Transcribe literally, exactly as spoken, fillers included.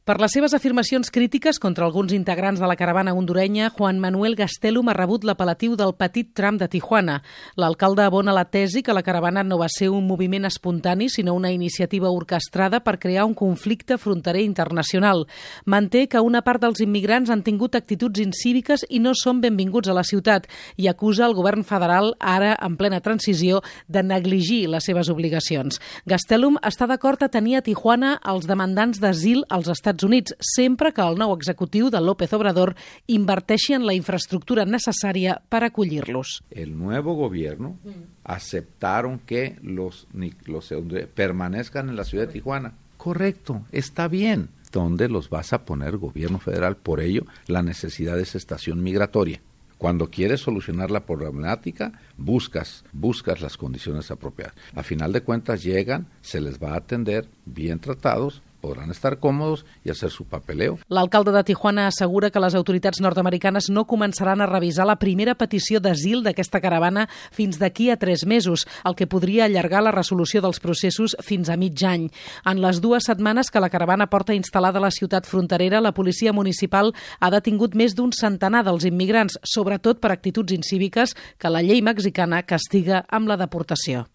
Per les seves afirmacions crítiques contra alguns integrants de la caravana hondurenya, Juan Manuel Gastelum ha rebut l'apel·latiu del petit Trump de Tijuana. L'alcalde abona la tesi que la caravana no va ser un moviment espontani, sinó una iniciativa orquestrada per crear un conflicte fronterer internacional. Manté que una part dels immigrants han tingut actituds incíviques i no són benvinguts a la ciutat i acusa el govern federal, ara en plena transició, de negligir les seves obligacions. Gastelum està d'acord a tenir a Tijuana els demandants d'asil als Estats Units, sempre que el nou executiu de López Obrador inverteixi en la infraestructura necessària per acollir-los. El nuevo gobierno aceptaron que los, los permanezcan en la ciudad de Tijuana. Correcto, está bien. ¿Dónde los vas a poner, gobierno federal? Por ello, la necesidad de esa estación migratoria. Cuando quieres solucionar la problemática, buscas, buscas las condiciones apropiadas. A final de cuentas llegan, se les va a atender, bien tratados, podran estar còmodes i hacer su papeleo. L'alcalde de Tijuana assegura que les autoritats nord-americanes no començaran a revisar la primera petició d'asil d'aquesta caravana fins d'aquí a tres mesos, el que podria allargar la resolució dels processos fins a mig any. En les dues setmanes que la caravana porta instal·lada a la ciutat fronterera, la policia municipal ha detingut més d'un centenar dels immigrants, sobretot per actituds incíviques que la llei mexicana castiga amb la deportació.